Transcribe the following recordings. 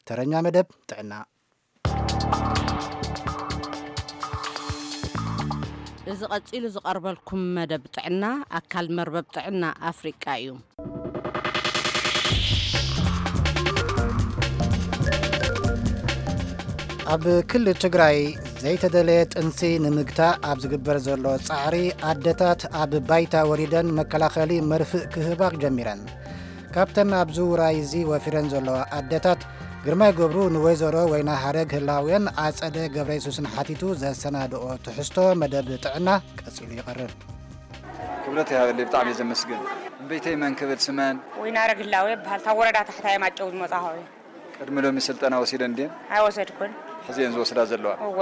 ተረኛ መደብ ጥዕና። እዚ ቀጺሉ ዝቐርበልኩም መደብ ጥዕና ኣካል መርበብ ጥዕና ኣፍሪቃ እዩ። ኣብ ክልል ትግራይ ዘይተደለየ ጥንሲ ንምግታእ ኣብ ዝግበር ዘሎ ጻዕሪ ኣደታት ኣብ ባይታ ወሪደን መከላኸሊ መርፍእ ክህባ ጀሚረን። ካብተን ኣብ ዝውራይ እዚ ወፊረን ዘለዋ ኣደታት ግርማይ ገብሩ ንወይዘሮ ወይና ሃረግ ህላውያን ኣጸደ ገብረ የሱስን ሓቲቱ ዘሰናድኦ ትሕዝቶ መደብ ጥዕና ቀጺሉ ይቐርብ። ክብረት ይሃበለይ፣ ብጣዕሚ እየ ዘመስግን። እምበይተይ መን ክብል ስመን? ወይና ሃረግ ህላው ይበሃል። ካብ ወረዳ ታሕታይ ማጨው ዝመጻኹ እየ። ቅድሚ ሎሚ ስልጠና ወሲደን ድየን? ኣይወሰድኩን። ሕዚ እየን ዝወስዳ ዘለዋ። እወ።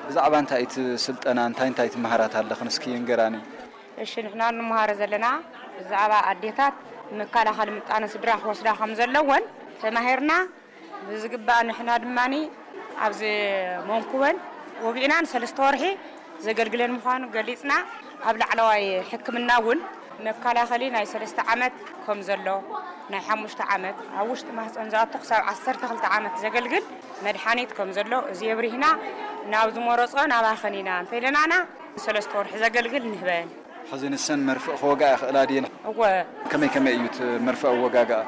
ብዛዕባ እንታይ እቲ ስልጠና፣ እንታይ እንታይ ትመሃራት ኣለኽን እስኪ ንገራኒ። እሺ፣ ንሕና እንመሃሮ ዘለና ብዛዕባ ኣዴታት መከላኸሊ ምጣነ ስድራ ክወስዳ ከም ዘለወን ተማሂርና። ብዝግባእ ንሕና ድማኒ ኣብዚ መንኩበን ወጊእናን ሰለስተ ወርሒ ዘገልግለን ምዃኑ ገሊጽና። ኣብ ላዕለዋይ ሕክምና እውን መከላኸሊ ናይ ሰለስተ ዓመት ከም ዘሎ፣ ናይ ሓሙሽተ ዓመት፣ ኣብ ውሽጢ ማህፀን ዝኣቱ ክሳብ ዓሰርተ ክልተ ዓመት ዘገልግል መድሓኒት ከም ዘሎ እዚ የብሪህና። ናብ ዝመረጾ ናባኸን ኢና እንተኢለናና ሰለስተ ወርሒ ዘገልግል ንህበን። ሕዚ ንሰን መርፍእ ክወግኣ ይኽእላ ድየን? እወ። ከመይ ከመይ እዩ እቲ መርፍእ ኣወጋግኣ?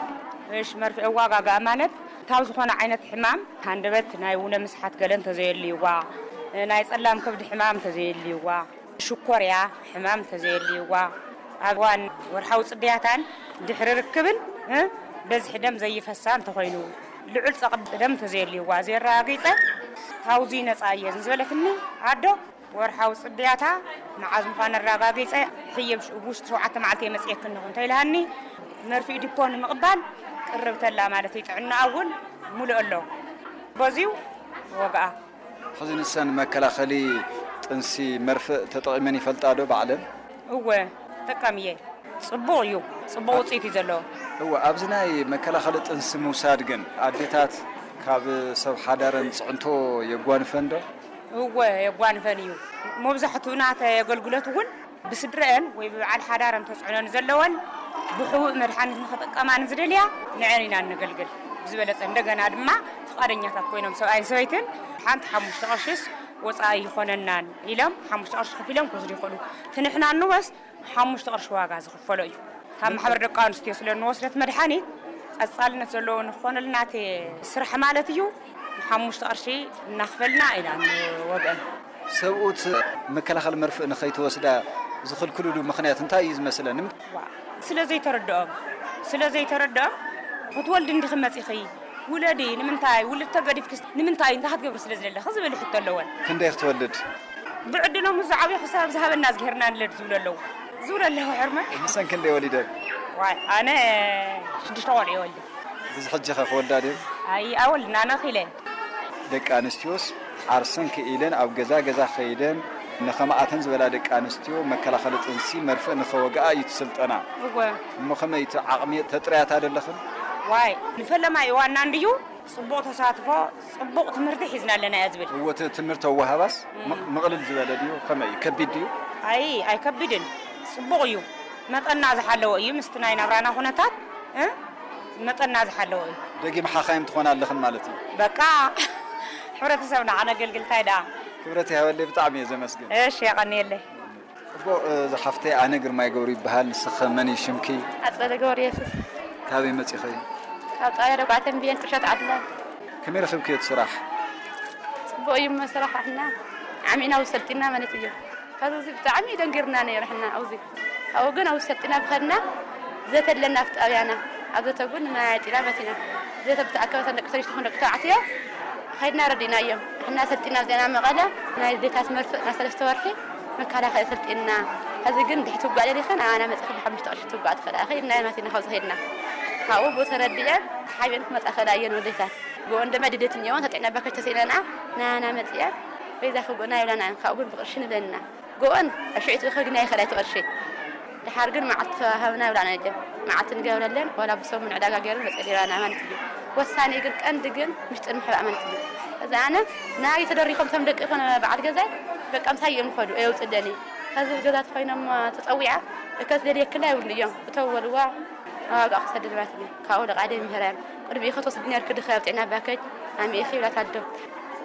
እሽ፣ መርፍእ ኣወጋግኣ ማለት ካብ ዝኾነ ዓይነት ሕማም፣ ሃንደበት፣ ናይ ውነ ምስሓት ገለ እንተዘየልይዋ፣ ናይ ጸላም ከብዲ ሕማም እንተዘየልይዋ፣ ሽኮርያ ሕማም እንተዘየልይዋ፣ ኣብ እዋን ወርሓዊ ጽድያታን ድሕሪ ርክብን፣ እ፣ በዝሒ ደም ዘይፈሳ እንተኾይኑ፣ ልዑል ጸቕጢ ደም እንተዘየልይዋ፣ ዘየረጋጊጸ፣ ካብዚ ነጻ እየ ዝበለትኒ ኣዶ፣ ወርሓዊ ጽድያታ መዓዝ ምዃኑ ኣረጋጊጸ፣ ሕየ ኣብ ውሽጢ ሸውዓተ መዓልቲ እየ መጽኤክን እንተኢልሃኒ፣ መርፍእ ዲፖ ንምቕባል ቅርብተላ ማለት እዩ። ጥዕናኣ እውን ሙሉእ ኣሎ። በዚዩ ወግኣ። ሕዚ ንሰን መከላኸሊ ጥንሲ መርፍእ ተጠቒመን ይፈልጣ ዶ ባዕለን? እወ፣ ተጠቃሚ እየ። ጽቡቕ እዩ። ጽቡቕ ውጽኢት እዩ ዘለዎ። እወ፣ ኣብዚ ናይ መከላኸሊ ጥንሲ ምውሳድ ግን ኣዴታት ካብ ሰብ ሓዳረን ጽዕንቶ የጓንፈን ዶ? እወ፣ የጓንፈን እዩ። መብዛሕትኡ ናተይ ኣገልግሎት እውን ብስድረአን ወይ ብበዓል ሓዳረን ተጽዕኖ ንዘለወን ብሕቡእ መድሓኒት ንኽጥቀማ ንዝደልያ ንዐን ኢና እነገልግል። ብዝበለጸ እንደገና ድማ ፍቓደኛታት ኮይኖም ሰብኣይን ሰበይትን ሓንቲ ሓሙሽተ ቅርሽስ ወጻኢ ይኾነናን ኢሎም ሓሙሽተ ቅርሺ ከፊሎም ክወስዱ ይኽእሉ። እቲ ንሕና እንወስ ሓሙሽተ ቅርሺ ዋጋ ዝኽፈሎ እዩ። ካብ ማሕበር ደቂ ኣንስትዮ ስለ እንወስደት መድሓኒት ቀጻልነት ዘለዎ ንክኾነልና እቲ ስራሕ ማለት እዩ። ሓሙሽተ ቅርሺ እናኽፈልና ኢና ንወግአን። ሰብኡት መከላኸሊ መርፍእ ንኸይትወስዳ ዝኽልክሉሉ ምኽንያት እንታይ እዩ ዝመስለን? ዋ፣ ስለ ዘይተረድኦም፣ ስለ ዘይተረድኦም፣ ክትወልዲ እንዲኺ መጺኺ፣ ውለዲ፣ ንምንታይ ውልድ ተገዲፍኪ፣ ንምንታይ እንታይ ክትገብሪ ስለ ዝደለኺ ዝብል ሕቶ ኣለወን። ክንደይ ክትወልድ? ብዕድሎም ምስ ዝዓብዩ ክሳብ ዝሃበና ዝገርና ንለድ ዝብሉ ኣለዉ። ዝብሉ ኣለዉ ሕርመ። ንሰን ክንደይ ወሊደን? ዋይ፣ ኣነ ሽዱሽተ ቆልዑ ይወልድ። ብዚ ሕጂ ኸ ክወልዳ ድዮም? ኣይ፣ ኣወልድና ነኺለ። ደቂ ኣንስትዮስ ዓርሰን ክኢለን ኣብ ገዛ ገዛ ከይደን ንኸምኣተን ዝበላ ደቂ ኣንስትዮ መከላኸሊ ጥንሲ መርፍእ ንኸወግኣ እዩ እቲ ስልጠና። እወ። እሞ ከመይ እቲ ዓቕሚ ተጥርያታ ዶ ኣለኽን? ዋይ፣ ንፈለማይ እዋንና እንድዩ ጽቡቕ ተሳትፎ፣ ጽቡቕ ትምህርቲ ሒዝና ኣለና እያ ዝብል። እወ፣ እቲ ትምህርቲ ኣወሃባስ እም። ምቕ-፣ ምቕልል ዝበለ ድዩ? ከመይ እዩ? ከቢድ ድዩ? ኣይ፣ ኣይከቢድን። ጽቡቕ እዩ። መጠና ዝሓለወ እዩ ምስቲ ናይ ናብራና ኩነታት፣ እ? መጠና ዝሓለወ እዩ። ደጊም ሓኻይም ትኾና ኣለኽን ማለት እዩ። በቃ፣ ሕብረተሰብና ከነገልግል እንታይ ደኣ? ክብረት ይሃበለይ፣ ብጣዕሚ እየ ዘመስግን። እሺ፣ የቐንየለይ። ጽቡቕ፣ እ፣ ዝሓፍተይ ኣነ ግርማይ ገብሩ ይበሃል። ንስኺ መን እዩ ሽምኪ? ኣጸደ ገብረ የሱስ። ካበይ መጺኺ? ካብ ጣብያ ደጉዓ ተንቤን ቁሸት ዓድላ። ከመይ ረኺብክዮ እቲ ስራሕ? ጽቡቕ እዩ እሞ ስራሕ፣ ኣሕና ዓሚና ኣብኡ ሰልጢና ማለት እዩ። ካብዚ እዚ ብጣዕሚ ደንጊርና ነይሩ፣ ኣሕና ኣብዚ። ኣብኡ ግን ኣብኡ ሰልጢና ብኸድና ዘተ ኣለና ኣብቲ ጣብያና። ኣብ ዘተ እውን ማይ ኣዕጢና መቲና። ዘተ ብተኣከበ እተን ደቂ ኣንስትዮ ይኹን ደቂ ተባዕትዮ ኸይድና ረዲእናዮም። ንሕና ሰልጢና መጺእና መቐለ ናይ ኣዴታት መርፍእ ናይ ሰለስተ ወርሒ መከላኸሊ ሰልጢንና። ሕዚ ግን ድሕሪ ትውጋእ ደሊኽን ኣባና መጺእኽን ብሓሙሽተ ቅርሺ ትውጋእ ትኽእላ ኢኺ ኢልናየን መቲና ካብዚ ኸይድና። ካብኡ ብኡ ተረዲኤን ተሓቢአን ክመጻ ክእላ እየን ወደታት። ብኡ እንደማ ድሌት እኒኦን ተጥዕና ባከሽ ተስኢነንኣ ናባና መጺኤን በይዛኺ ብኡና ይብላና እየን። ካብኡ ግን ብቕርሺ ንብለንና። ጎበን፣ ኣሽዒቱ ከግና ይኽእል እቲ ቅርሺ። ደሓር ግን መዓልቲ ተዋሃብና ይብላና እየን። መዓልቲ ንገብረለን፣ ዋላ ብሰሙን ዕዳጋ ገይረን መጸሊባና ማለት እዩ። ወሳኒ ግን፣ ቀንዲ ግን፣ ምሽጥር ምሕባእ ማለት እዩ። እዚ ኣነ፣ ናይ ተደሪኾም ቶም ደቂ ይኹን በዓል ገዛይ፣ በቃ ምሳይ እዮም ይኸዱ፣ ኣየውፅለኒ። ከዚ ገዛ ተኾይኖም ተጸዊዓ፣ እከ ትደልየክላ ይብሉ እዮም። እተው በልዋ፣ ዋጋ ክሰድድ ማለት እዩ። ካብኡ ደቃ ደይ ምሕረን። ቅድሚ ኢኸ ትወስድ ነርክ ድኸ ኣብ ጥዕና ባከጅ ኣሚእኺ ይብላ ኣዶ።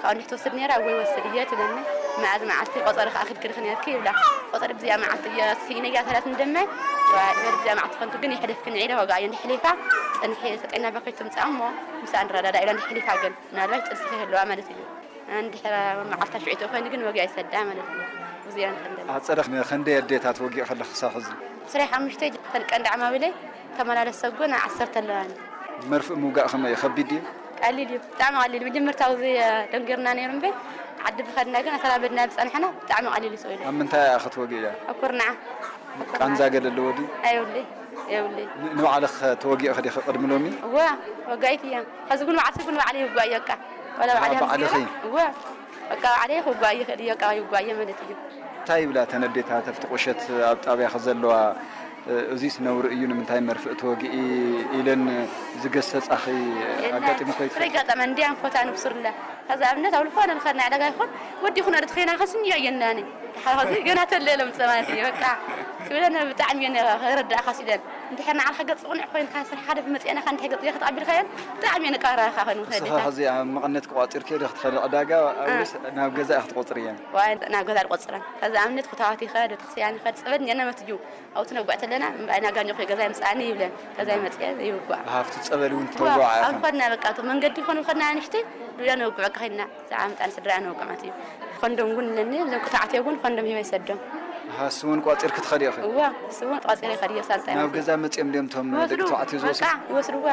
ካብ እንዲሕ ትወስድ ነራ ወይ ወስድ እየ ትብለኒ። መዓዝ መዓልቲ ቆጸሪ ከኣ ክድክድክ ነርኪ ይብላ። ቆጸሪ ብዚኣ መዓልቲ እየ ስኢነያ ተላት እንደማይ። ወ- ወደ ብዚኣ መዓልቲ ኮንቱ ግን የሕደፍክን ዒለ ወጋእዮ እንዲ ሕሊፋ ጽንሒ ጥዕና ባከጅ ትምጻእ እሞ ምሳኣ ንረዳዳ ኢላ እንዲ ሕሊፋ ግን ምናልባት ጥንስኺ ይህልዋ ማለት እዩ። እንድሕር መዓልታ ሽዑ ተኾይኑ ግን ወጊኣ ይሰዳ ማለት እዩ። ብዙ እያ ንኽእል ዘለና። ኣጸደኽ ነ-፣ ክንደይ ኣዴታት ወጊእ ከለኽ ክሳብ ሕዚ? ስራይ ሓሙሽተ ተን ቀንዲ ዓማዊለይ ተመላለስ ሰጉን ዓሰርተ ኣለዋኒ። መርፍእ ምውጋእ ከመይ እዩ? ከቢድ ድዩ? ቀሊል እዩ። ብጣዕሚ ቀሊል እዩ። መጀመርታ ኣብዚ ደንጊርና ነይሩ እምበር ዓዲ ብኸድና ግን ኣተላመድና ብጸንሐና ብጣዕሚ ቀሊል እዩ ስኢሉ። ኣብ ምንታይ እያ ክትወግእያ? ኣብ ኩርናዕ። ቃንዛ ገለ ኣለዎ ድዩ? ኣይብለይ። የብለይ። ን-፣ ንባዕልኽ ተወጊእኺ ዲኺ ቅድሚ ሎሚ? እወ፣ ወጋኢት እያ። ኸዚ ግን ባዕልሲ ግን ባዕለይ ይጓየካ። ወላ ባዕለይ ባዕልኺ? እወ፣ በቃ ባዕለይ ክጓየ ይኽእል እየ፣ በቃ ይጓየ ማለት እዩ። እንታይ ይብላ እተን ኣዴታት ኣብቲ ቁሸት ኣብ ጣብያኺ ዘለዋ፣ እ፣ እዚስ ነውሪ እዩ፣ ንምንታይ መርፍእ ትወግኢ ኢለን ዝገሰጻኺ የለን። ኣጋጢሙኺ ይፈልጥ? ስለ ኣጋጠመ እንዲያ ንፎታ ንብሱርላ። ከዚ ኣብነት ኣብ ዝኾነ ንኸድና ዕዳጋ ይኹን ወዲ ይኹን ኣደ ተኸይና ከስንዮ የናኒ። ሓዚ ገና ተለለ ምጸማት እዩ፣ በቃ። ክብለን ብጣዕሚ እየን ክረዳእኻ ሲለን። እንድሕር ንዓኻ ገጽ ቅኑዕ ኮይንካ ስራሕ ሓደ ብመጽአና ኻ እንድሕር ገጽ ዘይክትቐቢልካየን ብጣዕሚ እየን ንቃራኻ ኮይኑ ንስኻ ከዲካ። ኸዚ ኣብ መቐነት ክቋጺር ከይደ ክትኸደ ዕዳጋ እ። ወይስ ናብ ገዛ ክትቆጽር እየን? ዋይ፣ ናብ ገዛ ዝቆጽረን። ከዚ ኣብነት ፍታዋት ይኸድ፣ ቤተክርስትያን ይኸድ፣ ጸበል እየን መትዩ። ኣብቲ ነጓዕ ተለና፣ እምበኣይ ናጋኞ ኮይ ገዛይ ምጽኣኒ ይብለን። ገዛይ መጽኤ ይውጓዕ። ሃፍቲ ጸበል እውን እዋ፣ ተውጓዕ ኣብ ኢኹም? ኸድና በቃ፣ እቶ መንገዲ ኾኑ ኸድና ንሽተይ፣ ዱያ ነውግዕ በቃ ኸድና። ዝዓምጣን ስድራ ነውግዕ ማለት እዩ። ኮንዶም እውን ኣለኒ፣ እዞም ቁታዕትዮ እውን ኮንዶም ሂበ ይሰዶም። ሃስ እውን ቋጺር ክትኸዲ ኢኺ? እዋ፣ እሱ እውን ቋጺር ይኸዲ እየ፣ ሳንጣ ናብ ይመስል። ገዛ መጺኦም ድዮም እቶም ደቂ ይወስዱ፣ ተባዕትዮ ዝወስዱ? በቃ፣ ይወስድዋ።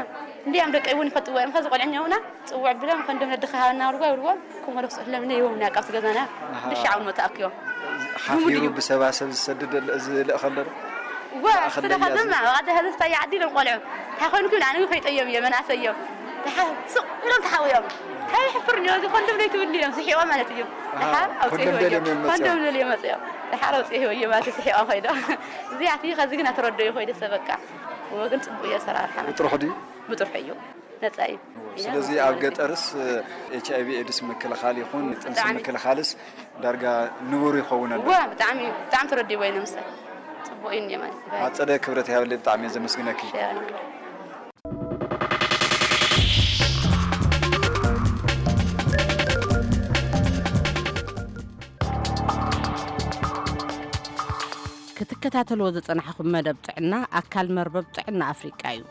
እንዲያም ደቀይ እውን ይፈትዎ እዮም። ኸዚ ቆልዕኛ ውና፣ ጽውዕ ብሎም፣ ኮንዶም ነድኻ ሃበና ውልጓ፣ ውልጓ፣ ክመለሱ ስለምነ ይወምና፣ ካብቲ ገዛና ኣሃ። ድሻ እውን መተኣክዮም። ሓፊሩ ልሙድ እዩ። ብሰባሰብ ዝሰድድ ዝልእኽ ኣሎ ዶ? ዋ፣ ማእኸል ስለኻ ለያዝ። ድማ፣ ዋዕዳ ህዝብታ ይዓዲ ኢሎም ቆልዑ። እንታይ ኾይንኩም? ኣነ ከይጠዮም እየ፣ መናእሰይ እዮም። ደሓር ስቕ ኢሎም ተሓውዮም። እንታይ ይሕፍር እንዲዮ፣ እዚ ኮንዶም ዘይትብሉ እዮም፣ ስሒቖም ማለት እዩ። ኣሃ፣ ደሓር ኣውፅኡ ኮንዶም ይህቦ ደልዮም እዮም እዮም መፅኦም። ኮንዶም ደልዮም መፅኦም። ደሓር ኣውፅኡ ይህቦ እዮም ማለት እዩ፣ ስሒቖም ኸይዶም። እዚኣቲ ኸዚ ግን ኣትረዶ እዩ ኸይደ ሰብ በቃ። እዎ ግን ፅቡቅ እዩ ኣሰራርሓ። ብጥርሑ ድዩ? ብጥርሑ እዩ። ነፃ እዩ። ስለዚ ኣብ ገጠርስ ኤች ኣይ ቪ ኤድስ ምክልኻል ይኹን ጥንሲ ብጣዕሚ። ምክልኻልስ ዳርጋ ንቡር ይኸውን ኣሎ። እዋ፣ ብጣዕሚ፣ ብጣዕሚ ተረዲእዎ እዩ ንምሳሌ። ጽቡቅ እዩ እንዲዮ ማለት እዩ። ኣጸደ ክብረት ይሃበለይ፣ ብጣዕሚ እየ ዘመስግነኪ። ሸር። ክትከታተልዎ ዝጸናሕኹም መደብ ጥዕና ኣካል መርበብ ጥዕና ኣፍሪቃ እዩ።